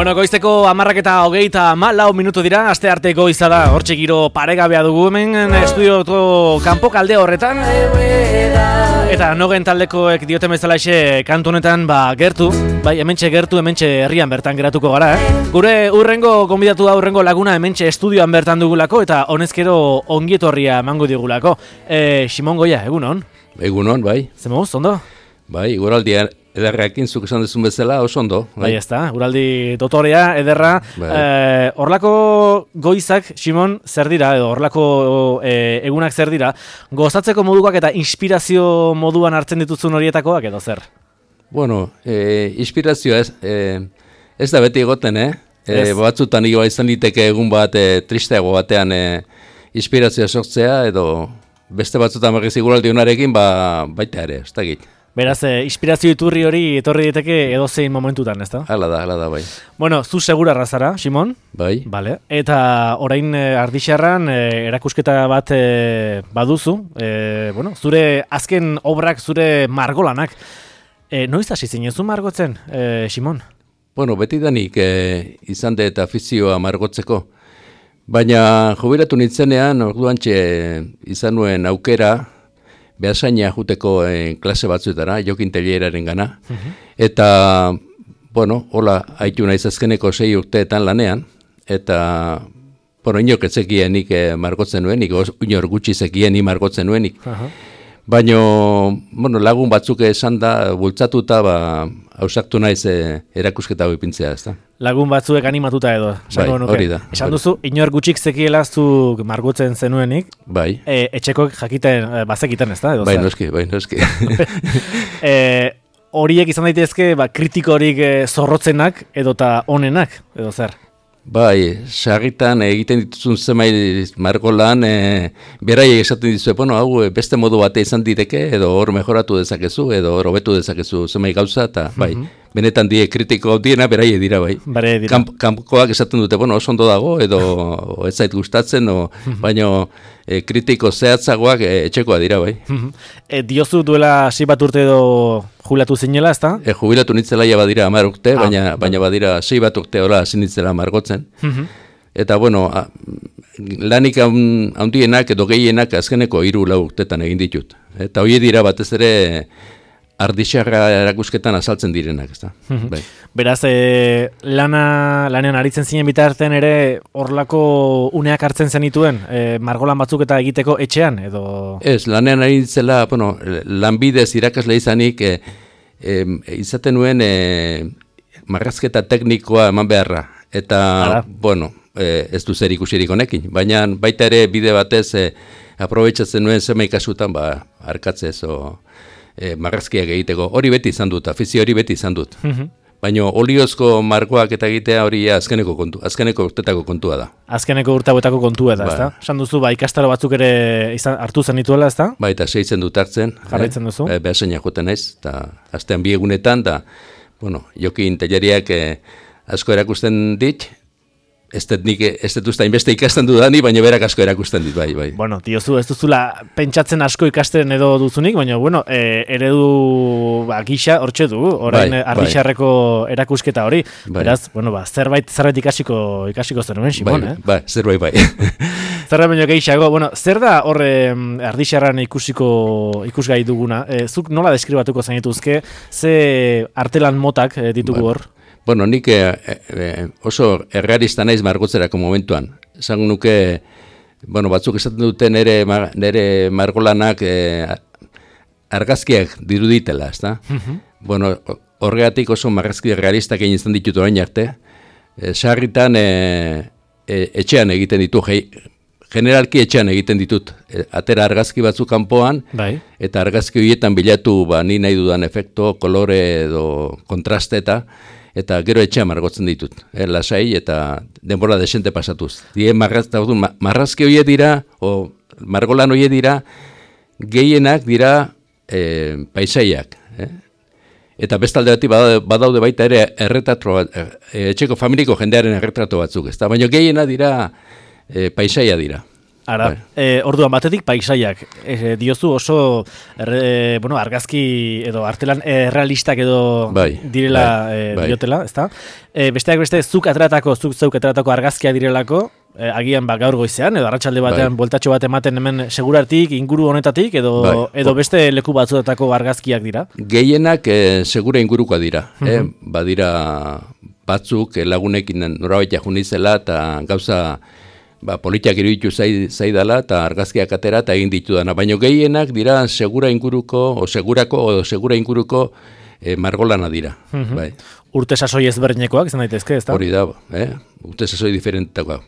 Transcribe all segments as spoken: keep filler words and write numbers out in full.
Bueno, goizteko hamarrak eta hogeita malau minutu dira, aste arte goiza da, hortxe giro paregabea dugu hemen estudioko kanpo kalde horretan. Eta nogen taldekoek dioten bezalaxe kantu honetan ba, gertu, bai hementxe gertu, hementxe herrian bertan geratuko gara. Eh? Gure urrengo gonbidatu da urrengo laguna hementxe estudioan bertan dugulako eta honezkero ongietorria emango digulako. E, Simon Goia, egunon? Egunon, bai. Zemuz, ondo? Bai, guraldia ederrekin zuk esan dezun bezala, oso ondo. Bai, bai ez da, guraldi dotorea, ederra. Bai. Eh, orlako goizak, Simon, zer dira, edo orlako eh, egunak zer dira, gozatzeko moduak eta inspirazio moduan hartzen dituzun horietakoak edo zer? Bueno, eh, inspirazioa ez, eh, ez da beti egoten, eh? eh batzutan igoa izan liteke egun bat eh, tristeago batean eh, inspirazioa sortzea, edo beste batzutan berriz guraldi honarekin, ba, baita ere, ez da git. Beraz, eh, inspirazio iturri hori etorri diteke edozein momentutan, ez da? Hala da, hala da, bai. Bueno, zu segura razara, Simon? Bai. Vale. Eta orain eh, Ardixarran eh, erakusketa bat eh, baduzu. Eh, bueno, zure azken obrak, zure margolanak. Eh, noiz hasi zinezu margotzen, eh, Simon? Bueno, betidanik eh, izan dut afizioa margotzeko. Baina jubilatu nintzenean, orduantxe izan nuen aukera, behasaina juteko eh, klase batzuetara, Jokin Telleraren gana. Uh-huh. Eta, bueno, hola, haitu naiz azkeneko sei urteetan lanean, eta, bueno, inork etzekienik eh, margotzen nuenik, inor gutxi zekienik margotzen nuenik. Uh-huh. Baina, bueno, lagun batzuk esan da, bultzatuta, ba, hausaktu naiz eh, erakusketa hau ipintzea, ez da? Lagun batzuek animatuta edo. Bai, hori da. Esan duzu, inor gutxik zekiela zuk margotzen zenuenik. Bai. E, etxekoek jakiten, bazekiten ez da? Edo, bai, noski, bai, noski. e, horiek izan daitezke, ba, kritikorik e, zorrotzenak edota onenak, edo zer? Bai, sarritan egiten dituzun zemai margolan, e, beraiek esaten dizu, bueno, hau beste modu bate izan diteke, edo hor mejoratu dezakezu, edo hor hobetu dezakezu zemai gauza, eta bai, mm-hmm. benetan die kritiko diena beraie dira, bai. Bare dira. Kamp, kampokoak esaten dute, bueno, oso ondo dago, edo ez zait gustatzen, o, mm-hmm. baina e, kritiko zehatzagoak e, etxekoa dira, bai. Mm-hmm. E, diozu duela sei bat urte edo jubilatu zinela, ez da? E, jubilatu nitzela ja badira hamar urte, ah, baina, baina badira sei bat urte hola hasi nitzela margotzen. Mm-hmm. Eta, bueno, a, lanik handienak edo gehienak azkeneko hiru lau urtetan egin ditut. Eta hori dira batez ere Ardixarra erakusketan azaltzen direnak, ez da. Mm-hmm. Bai. Beraz, e, lana, lanean aritzen zinen bitartean ere horlako uneak hartzen zenituen, e, margolan batzuk eta egiteko etxean, edo? Ez, lanean aritzela, bueno, lanbidez irakasle izanik, e, e, izaten nuen e, marrazketa teknikoa eman beharra. Eta, Ara. bueno, e, ez du zer ikusirik honekin, baina baita ere bide batez e, aprobetxatzen nuen zema ikasutan, ba, arkatzez, o... E, marrazkiak egiteko, hori beti izan dut, afizio hori beti izan dut. Mm-hmm. Baina oliozko margoak eta egitea hori azkeneko kontu, azkeneko urtetako kontua da. Azkeneko urteetako kontua da, ba. Ezta? Esan duzu, ba, ikastaro batzuk ere izan, hartu zen dituela, ezta? Ba, eta seitzen dut hartzen. Jarraitzen duzu? E, Behasaina joten naiz, eta astean bi egunetan, da, bueno, Jokin Telleriak e, asko erakusten dit, ez dut nik, ez dut usta inbeste ikasten dudani, baina berak asko erakusten dit, bai, bai. Bueno, diozu, ez duzula pentsatzen asko ikasten edo duzunik, baina, bueno, e, eredu ba, gisa hortxe du, orain bai, Ardixarreko bai. Erakusketa hori. Bai. Beraz, bueno, ba, zerbait, zerbait ikasiko, ikasiko zenuen, Simon, bai, eh? Bai, zerbait, bai. Zerbait baino gehiago, bueno, zer da horre Ardixarran ikusiko, ikusgai duguna? E, zuk nola deskribatuko zenituzke, ze artelan motak e, ditugu hor? Bueno, nik e, e, oso errealista naiz margotzerako momentuan. Esan nuke, bueno, batzuk esaten dute nere, nere margolanak e, argazkiak diruditela, ez da? Mm-hmm. Bueno, horregatik oso margazki realistak egin izan ditut orain arte. E, sarritan e, e, etxean egiten ditu, hei, generalki etxean egiten ditut. E, atera argazki batzuk kanpoan, bai. Eta argazki horietan bilatu ba, ni nahi dudan efekto, kolore edo kontraste eta eta gero etxea margotzen ditut, eh, lasai eta denbora desente pasatuz. Die marrazta, marrazki horiek dira, o margolan horiek dira, gehienak dira eh, paisaiak. Eh? Eta bestalde bati badaude baita ere erretrato, eh, etxeko familiko jendearen erretrato batzuk, ezta? Baina gehiena dira eh, paisaia dira. Ara, bai. e, orduan batetik paisaiak, e, diozu oso erre, bueno, argazki edo artelan errealistak edo bai, direla bai, e, bai. diotela, ezta? E, besteak beste zuk atratako, zuk zeuk atratako argazkia direlako, e, agian ba, gaur goizean edo arratsalde batean Bai. bueltatxo bat ematen hemen segurartik, inguru honetatik edo Bai. edo beste leku batzuetako argazkiak dira. Gehienak e, segura ingurukoa dira, eh? Mhm. Badira batzuk eh, lagunekin norabaitea junizela eta gauza ba, politiak iruditu zai, zaidala eta argazkiak atera eta egin ditudana. Baina gehienak dira segura inguruko, o segurako, o segura inguruko e, margolana dira. Mhm. Bai. Urte sasoi ezberdinekoak, izan daitezke, ezta? Hori da, eh? Urte sasoi diferentakoa.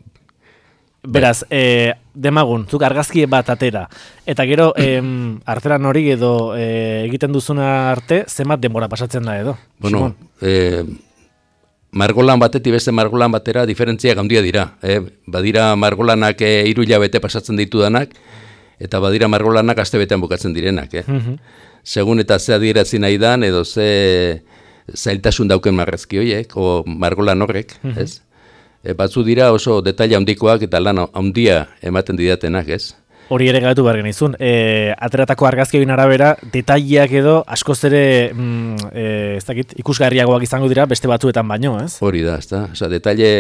Beraz, e, demagun, zuk argazki bat atera, eta gero em, artelan hori edo e, egiten duzuna arte, zenbat denbora pasatzen da edo? Bueno, Simon? eh, margolan batetik beste margolan batera diferentziak handia dira. Eh? Badira margolanak e, hiru hilabete pasatzen ditudanak, eta badira margolanak astebetean bukatzen direnak. Eh? Mhm. Segun eta ze adierazi nahi dan, edo ze zailtasun dauken marrazki horiek, o margolan horrek, ez? E, batzu dira oso detaila handikoak eta lan handia ematen didatenak, ez? Hori ere gaitu behar genizun. E, ateratako argazkioin arabera, detaileak edo askoz ere mm, e, ez dakit, ikusgarriagoak izango dira beste batzuetan baino, ez? Hori da, ezta? Osea, detaile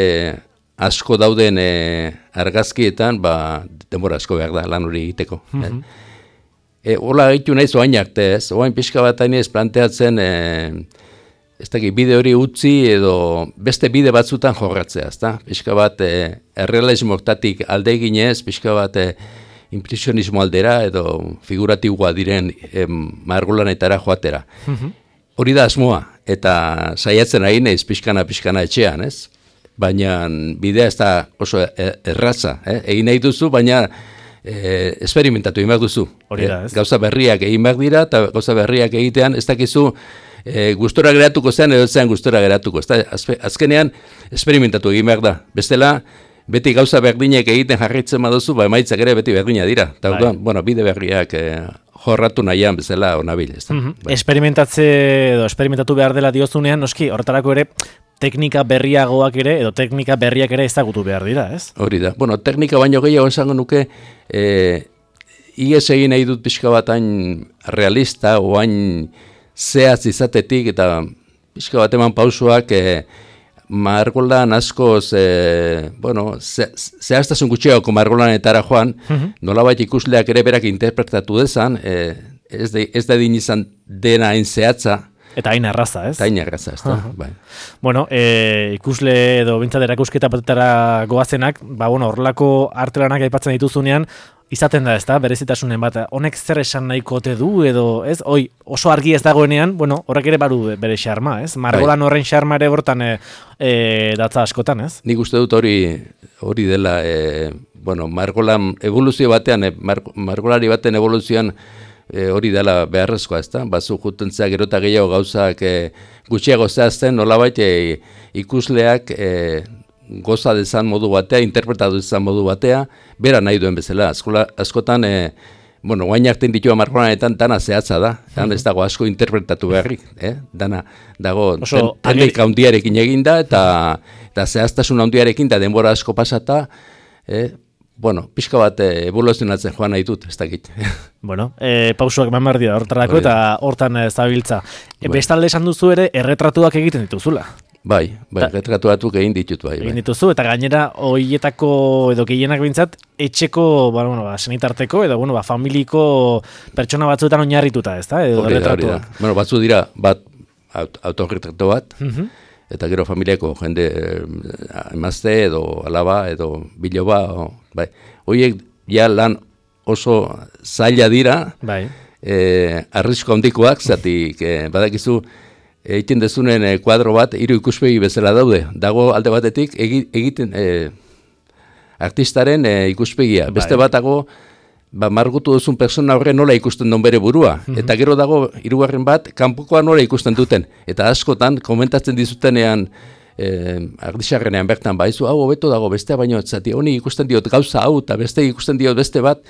asko dauden e, argazkietan, ba, denbora asko behar da lan hori egiteko. eh? E, hola egitu nahiz oain arte, ez? Oain pixka bat hain ez planteatzen, e, ez dakit, bide hori utzi edo beste bide batzutan jorratzea, ezta? Pixka bat e, errealismotatik alde eginez, pixka bat e, impresionismo aldera edo figuratiboa diren e, margolanetara joatera. Hori da asmoa, eta saiatzen ari naiz pixkana-pixkana etxean, ez? Baina bidea ez da oso erraza, eh? Egin nahi duzu, baina e, esperimentatu egin behar duzu. Hori da, ez? Gauza berriak egin behar dira, eta gauza berriak egitean ez dakizu e, gustora geratuko zen edo zean gustora geratuko. Ez da, azkenean esperimentatu egin behar da. Bestela, beti gauza berdinek egiten jarraitzen baduzu, ba emaitzak ere beti berdina dira. Eta Bai. orduan, bueno, bide berriak e, jorratu nahian bezala onabil, ez da. Bai. Esperimentatze edo esperimentatu behar dela diozunean, noski, horretarako ere teknika berriagoak ere edo teknika berriak ere ezagutu behar dira, ez? Hori da. Bueno, teknika baino gehiago esango nuke, e, ies egin nahi dut pixka bat hain realista, o hain zehaz izatetik, eta pixka bat eman pausoak e, margolan askoz, e, bueno, ze, zehaztasun gutxiagoko margolanetara joan, nolabait ikusleak ere berak interpretatu dezan, e, ez, de, ez da din izan dena hain zehatza, Eta hain arraza, ez? eta hain erraza, ez da, bai. Bueno, e, ikusle edo bintzat erakusketa batetara goazenak, ba, bueno, horrelako artelanak aipatzen dituzunean, izaten da, ez da, berezitasunen bat, honek zer esan nahiko ote du, edo, ez, oi, oso argi ez dagoenean, bueno, horrek ere baru bere xarma, ez? Margolan horren xarma ere bortan e, e, datza askotan, ez? Nik uste dut hori hori dela, e, bueno, margolan evoluzio batean, e, mar, margolari baten evoluzioan, E, hori dela beharrezkoa, ezta? Bazu jutentzea gero eta gehiago gauzak e, gutxiago zehazten, nolabait e, ikusleak e, goza dezan modu batea, interpretatu dezan modu batea, bera nahi duen bezala. Askola, askotan, e, bueno, guain artean ditua margolanetan dana zehatza da, dan ez dago asko interpretatu beharrik, eh? Dana dago Oso, ten, teknika handiarekin eginda, eta, eta zehaztasun handiarekin, da denbora asko pasata, eh? Bueno, pixka bat e, evoluzionatzen joan nahi dut, ez dakit. Bueno, e, pausuak eman behar dira hortarako eta hortan e, zabiltza. E, Bai. bestalde esan duzu ere erretratuak egiten dituzula. Bai, bai, Ta- retratu batzuk egin ditut, bai, Egin bai. dituzu, eta gainera hoietako edo gehienak bintzat, etxeko, ba, bueno, ba, senitarteko edo bueno, ba, familiko pertsona batzuetan oinarrituta, ez da? Edo Hori da, hori da. erretratuak. Bueno, batzu dira, bat, aut, autorretrato bat, Mhm. eta gero familiako jende eh, emazte edo alaba edo biloba, o, bai. Horiek ja lan oso zaila dira, Bai. eh, arrisko handikoak, zatik eh, badakizu, egiten dezunen eh, kuadro bat, hiru ikuspegi bezala daude. Dago alde batetik egi, egiten eh, artistaren eh, ikuspegia. Beste Bai. bat dago, ba, margutu duzun persona horre nola ikusten duen bere burua. Eta gero dago, hirugarren bat, kanpokoa nola ikusten duten. Eta askotan, komentatzen dizutenean, eh, ardixarrenean bertan, baizu, hau hobeto dago bestea, baino, zati, honi ikusten diot gauza hau, eta beste ikusten diot beste bat,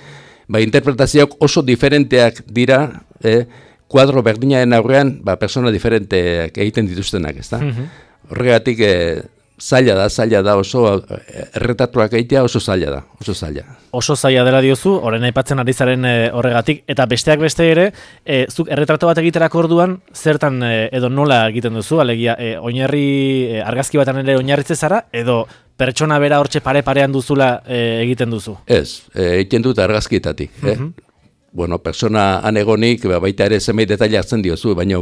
ba, interpretazioak oso diferenteak dira, eh, kuadro berdinaren aurrean, ba, persona diferenteak egiten dituztenak, ezta? Horregatik, eh, zaila da, zaila da, oso erretatuak egitea oso zaila da, oso zaila. Oso zaila dela diozu, orain aipatzen ari zaren e, horregatik, eta besteak beste ere, e, zuk erretratu bat egiterako orduan, zertan e, edo nola egiten duzu, alegia, e, oinarri, e, argazki batan ere oinarritze zara, edo pertsona bera hortxe pare-parean duzula e, egiten duzu? Ez, e, egiten dut argazkietatik, uh -huh. eh? Bueno, persona anegonik, baita ere zenbait detaile hartzen diozu, baina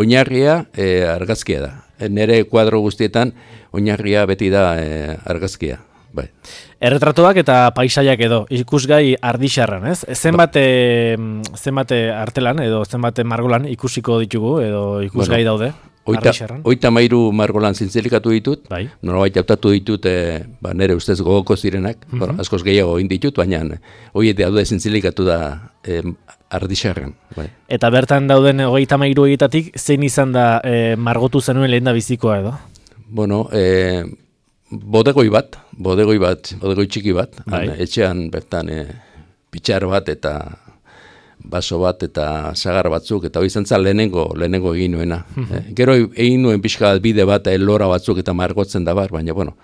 oinarria e, argazkia da. Nere kuadro guztietan oinarria beti da e, argazkia. Bai. Erretratuak eta paisaiak edo, ikusgai ardixarran, ez? Zenbat, e, zenbat artelan edo zenbat margolan ikusiko ditugu edo ikusgai bueno, daude? Oita mairu margolan zintzilikatu ditut, bai. Norabait hautatu ditut e, ba, nire ustez gogoko zirenak, uh -huh. bueno, askoz gehiago egin ditut, baina horiek daude zintzilikatu da e, ardixarren. Bai. Eta bertan dauden hogeita mairu egitatik, zein izan da e, margotu zenuen lehen da bizikoa edo? Bueno, e, bodegoi bat, bodegoi bat, bodegoi txiki bat, bai. an, etxean bertan e, pitxar bat eta baso bat eta sagar batzuk, eta hori zantzan lehenengo, lehenengo egin nuena. Uh-huh. e, gero egin nuen pixka bide bat elora batzuk eta margotzen da bar, baina bueno,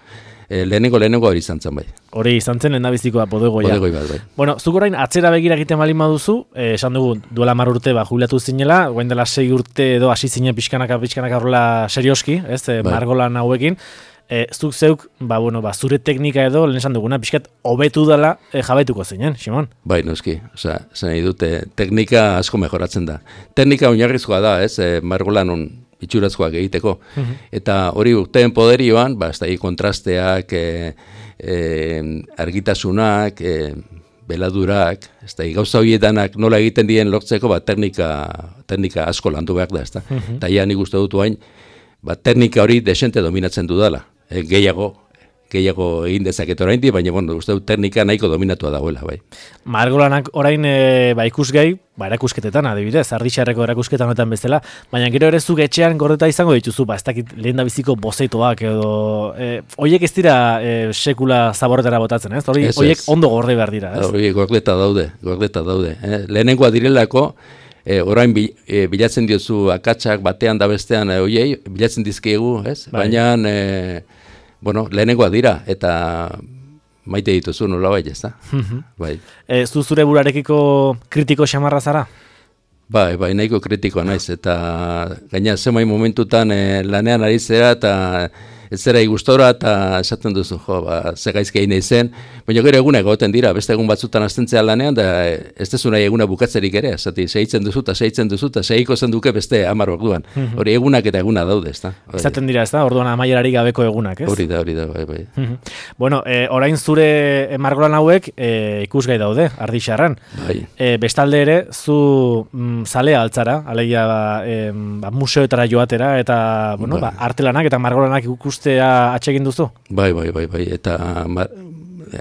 e, lehenengo lehenengo hori izan zen bai. Hori izan zen lehendabizikoa bodegoia. Bodegoi bat bai. Bueno, zuk orain atzera begira egiten balin baduzu, eh, esan dugu duela mar urte ba, jubilatu zinela, guain dela sei urte edo hasi zinen pixkanaka pixkanaka horrela serioski, ez, e, bai. Margolan hauekin. E, zuk zeuk, ba, bueno, ba, zure teknika edo, lehen esan duguna, pixkat, hobetu dela e, jabetuko zinen, Simon? Bai, noski, osea, zen nahi dute, teknika asko mejoratzen da. Teknika oinarrizkoa da, ez, e, margolan on itxurazkoak egiteko. Uh-huh. Eta hori urteen poderioan, ba, ez da, kontrasteak, e, e, argitasunak, e, beladurak, ez da, gauza horietanak nola egiten dien lortzeko, ba, teknika, teknika asko landu behar da, ez da. Uh-huh. Eta ja nik uste dut hain, ba, teknika hori desente dominatzen dudala. E, gehiago, gehiago egin dezaket oraindik, baina bueno, uste dut teknika nahiko dominatua dagoela, bai. Margolanak orain e, ba, ikusgai, ba, erakusketetan, adibidez, ardixarreko erakusketan honetan bezala, baina gero ere zuk etxean gordeta izango dituzu, ba, ez dakit lehen da biziko bozeitoak edo, e, oiek ez dira e, sekula zaborretara botatzen, ez? Hori, oiek ondo gorde behar dira, ez? Hori, gordeta daude, gordeta daude. Eh? Lehenengoa direlako, E, orain bil, e, bilatzen diozu akatsak batean da bestean e, oiei, bilatzen dizkiegu, ez? Bai. Baina, e, bueno, lehenengoa dira, eta maite dituzu nola bai, ez da? Bai. E, zu zure burarekiko kritiko xamarra zara? Bai, bai, nahiko kritikoa naiz, eta gaina zemai momentutan e, lanean ari zera, eta ez zera igustora, eta esaten duzu, jo, ba, zegaizki egin zen, baina gero eguna egoten dira, beste egun batzutan aztentzea lanean, da ez dezu nahi eguna bukatzerik ere, zati, sehitzen duzu, eta sehitzen duzu, eta sehiko zen duke beste hamar orduan. Hori egunak eta eguna daude, ez da? Izaten dira, ez da? Orduan amaierari gabeko egunak, ez? Hori da, hori da, bai, bai. Bueno, e, orain zure margolan hauek e, ikusgai daude, ardixarran. Bai. E, bestalde ere, zu mm, zalea altzara, alegia ba, e, ba, museoetara joatera, eta, bueno, bai. ba, artelanak eta margolanak ikus ustea atsegin duzu? Bai, bai, bai, bai, eta mar,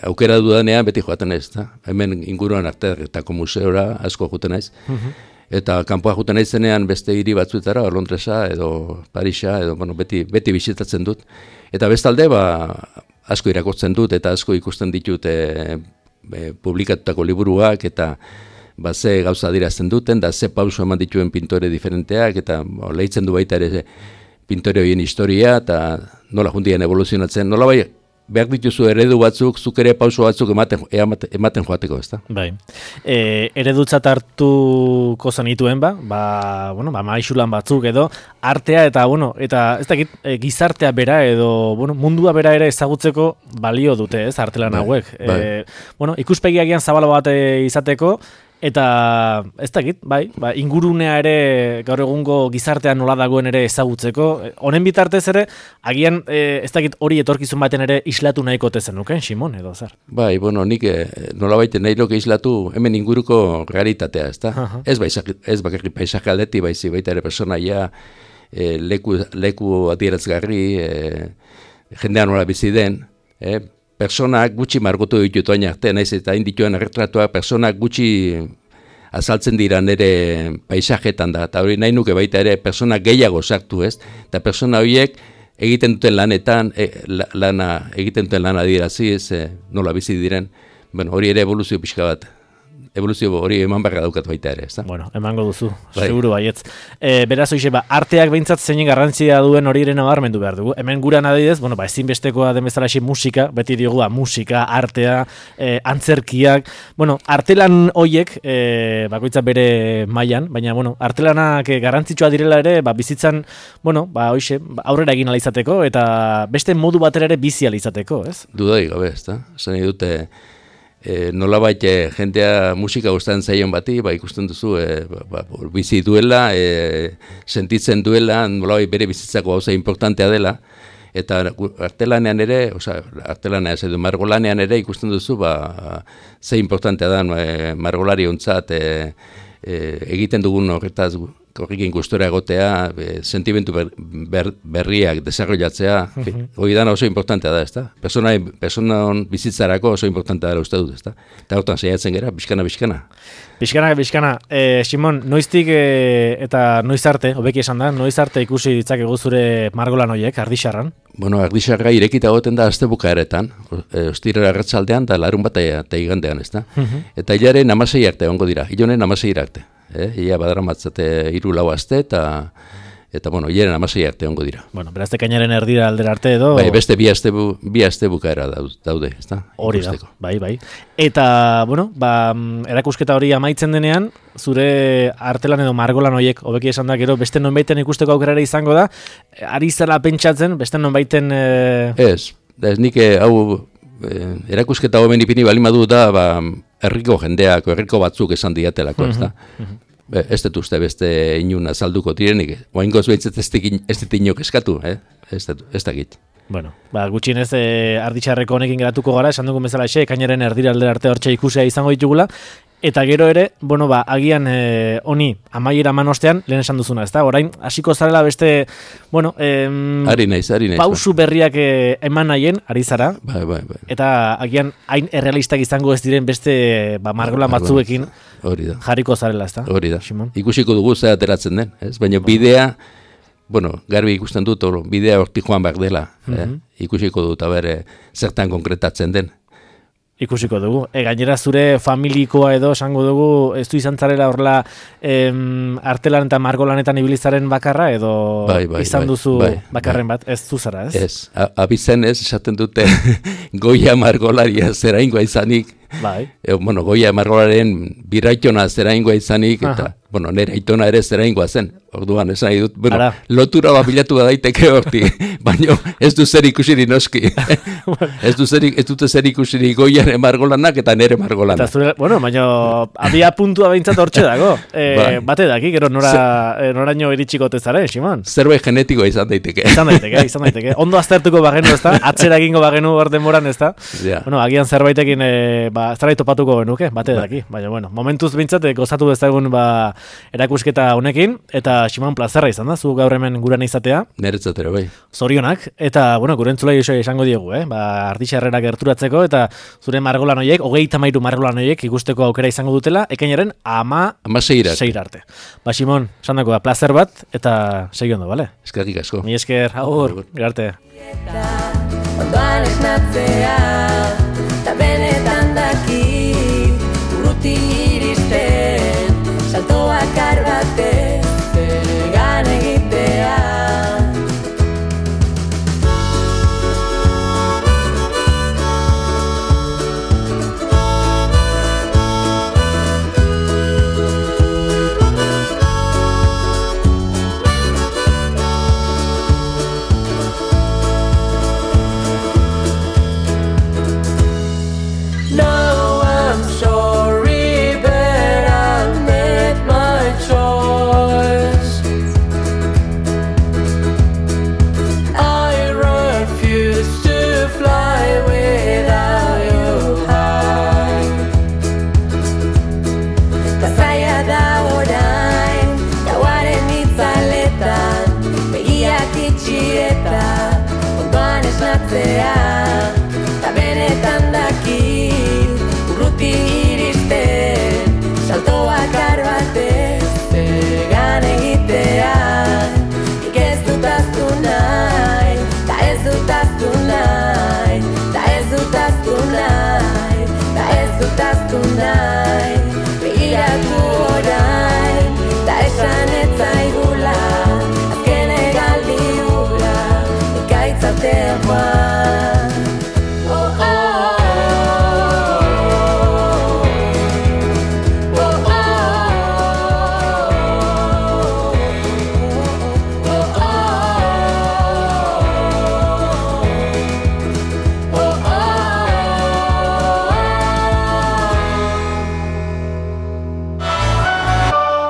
aukera dudanean beti joaten naiz, eta hemen inguruan arteetako museora asko joaten naiz. Uh-huh. Eta kanpoa joaten naizenean beste hiri batzuetara, Londresa edo Parisa, edo bueno, beti, beti bisitatzen dut. Eta bestalde, ba, asko irakurtzen dut eta asko ikusten ditut e, e, publikatutako liburuak eta ba, ze gauza dirazten duten, da ze pauso eman dituen pintore diferenteak, eta bo, lehitzen du baita ere pintore horien historia, eta nola jundien evoluzionatzen, nola bai, behar dituzu eredu batzuk, zuk ere pauso batzuk ematen, ematen joateko, ez da? Bai. E, eredutzat hartuko zenituen, ba, ba, bueno, ba, maixulan batzuk edo, artea eta, bueno, eta ez dakit, e, gizartea bera edo, bueno, mundua bera ere ezagutzeko balio dute, ez, artelan bai, hauek. Bai. E, bueno, ikuspegiagian zabala bat izateko, eta ez dakit, bai, ba, ingurunea ere gaur egungo gizartean nola dagoen ere ezagutzeko. Honen bitartez ere, agian e, ez dakit hori etorkizun baten ere islatu nahiko tezen nuken, Simon, edo zer? Bai, bueno, nik nola baiten nahi loke islatu hemen inguruko realitatea, ez da? Uh-huh. Ez, ez bakarri paisaje aldeti, baizi baita ere personaia, e, leku, leku adierazgarri, e, jendean nola bizi den, e, personak gutxi margotu ditut oin arte, naiz eta indituen erretratuak personak gutxi azaltzen dira nire paisajetan da, eta hori nahi nuke baita ere personak gehiago sartu, ez? Eta persona horiek egiten duten lanetan, e, lana, egiten duten lana dirazi, ez, e, nola bizi diren, bueno, hori ere evoluzio pixka bat evoluzio hori eman barra daukat baita ere, ez da? Bueno, emango duzu, bai. seguru baietz. E, beraz, hoxe, ba, arteak behintzat zeinen garrantzia duen hori ere nabarmendu behar dugu. Hemen guran adidez, bueno, ba, ezinbestekoa den bezala musika, beti diogu, ba, musika, artea, e, antzerkiak, bueno, artelan hoiek, e, bakoitza bere mailan, baina, bueno, artelanak garrantzitsua direla ere, ba, bizitzan, bueno, ba, hoxe, ba, aurrera egin alizateko, eta beste modu batera ere bizi alizateko, ez? Dudai gabe, ez da? Zene dute, E, nolabait e, jentea musika gustatzen zaion bati, ba, ikusten duzu e, ba, ba, bizi duela, e, sentitzen duela, nolabait bere bizitzako gauza importantea dela, eta artelanean ere, oza, artelanean ez edo margolanean ere ikusten duzu, ba, ze importantea da e, margolari ontzat e, e, egiten dugun horretaz horrekin gustora egotea, e, sentimentu ber, ber, berriak desarrollatzea, mm-hmm. hori dana oso importantea da, ezta? Persona, personan bizitzarako oso importantea da uste dut, ezta? Eta hortan saiatzen gera, bizkana, bizkana. Bizkana, bizkana. E, Simon, noiztik e, eta noiz arte, hobeki esan da, noiz arte ikusi ditzakegu zure margolan horiek, Ardixarran? Bueno, Ardixarra irekita goten da azte bukaeretan, e, ostirera arratsaldean eta larun bat eta igandean, ezta? Mm-hmm. Eta hilaren amasei arte ongo dira, hilonen amasei arte. Eh, ia badara matzate hiru lau aste eta eta bueno, hilaren amasei arte ongo dira. Bueno, beraz ekainaren erdira aldera arte edo bai, beste bi aste bu, bi aste bukaera daude, ezta? Hori da. Bai, bai. Eta bueno, ba, erakusketa hori amaitzen denean, zure artelan edo margolan horiek hobeki esan da gero beste nonbaiten ikusteko aukera ere izango da, ari zela pentsatzen beste nonbaiten e... Ez, ez nik hau e, erakusketa hoben ipini bali madu da, ba, herriko jendeak, herriko batzuk esan diatelako, ez da? Uh-huh. Ez dut uste beste inun azalduko direnik, oaingoz behintzat ez dut inok eskatu, eh? ez da git. Bueno, ba, gutxienez e, Ardixarreko honekin geratuko gara, esan dugun bezala xe, ekainaren erdira aldera arte hortxe ikusea izango ditugula, eta gero ere, bueno, ba, agian e, honi amaiera manostean, lehen esan duzuna, ezta? Orain, hasiko zarela beste, bueno, em, ari naiz, ari naiz, pausu berriak e, eman nahien, ari zara, bai, bai, bai. Eta agian hain errealistak izango ez diren beste ba, margolan batzuekin jarriko zarela, ezta? Hori da, Simon? Ikusiko dugu zer ateratzen den, ez? Baina bidea, bueno, garbi ikusten dut, oro, bidea horti joan behar dela, mm-hmm. eh? Ikusiko dut, abere, zertan konkretatzen den. Ikusiko dugu. E, gainera zure familikoa edo esango dugu, ez du izan zarela horrela em, artelan eta margolanetan ibilizaren bakarra edo bai, bai, izan bai, duzu bai, bakarren bai. bat, ez du zara, ez? Ez, abizen ez, esaten dute goia margolaria zeraingoa izanik, bai. E, bueno, goia margolaren biraitona zeraingoa izanik, eta, aha. bueno, nire aitona ere zeraingoa zen, orduan, esan nahi dut, bueno, Ara. lotura babilatu daiteke horti, baina ez du zer ikusirik noski, ez du zer, ez dute zer ikusirik goiaren margolanak eta nire margolanak. Eta zure, bueno, baina abia puntua behintzat hortxe dago, e, bai. Bate daki, gero nora, e, noraino iritsiko tezaren, Simon? Zerbait genetikoa izan daiteke. Izan daiteke, izan daiteke. Ondo aztertuko bagenu, ez da? Atzera egingo bagenu hor denboran, ez da? Ja. Bueno, agian zerbaitekin, e, ba, zerbait topatuko genuke, bate daki. Baina, bueno, momentuz behintzat, gozatu dezagun, ba, erakusketa honekin, eta Simon, plazerra izan da, zu gaur hemen guran izatea. Neretzatero, bai. Zorionak, eta, bueno, gurentzulai esango diegu, eh? Ba, Ardixarrera gerturatzeko, eta zure margolan horiek, hogeita mairu margolan horiek ikusteko aukera izango dutela, ekainaren ama... Ama seirarte. Seirarte. Ba, Simon, esan dako, plazer bat, eta segi ondo, bale? Eskerrik asko. Mi esker, agur, garte. Ondoan esnatzea, eta benetan daki, urruti iristen, saltoak arbate, egan egitea. No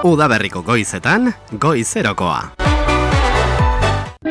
Udaberriko goizetan, goizerokoa.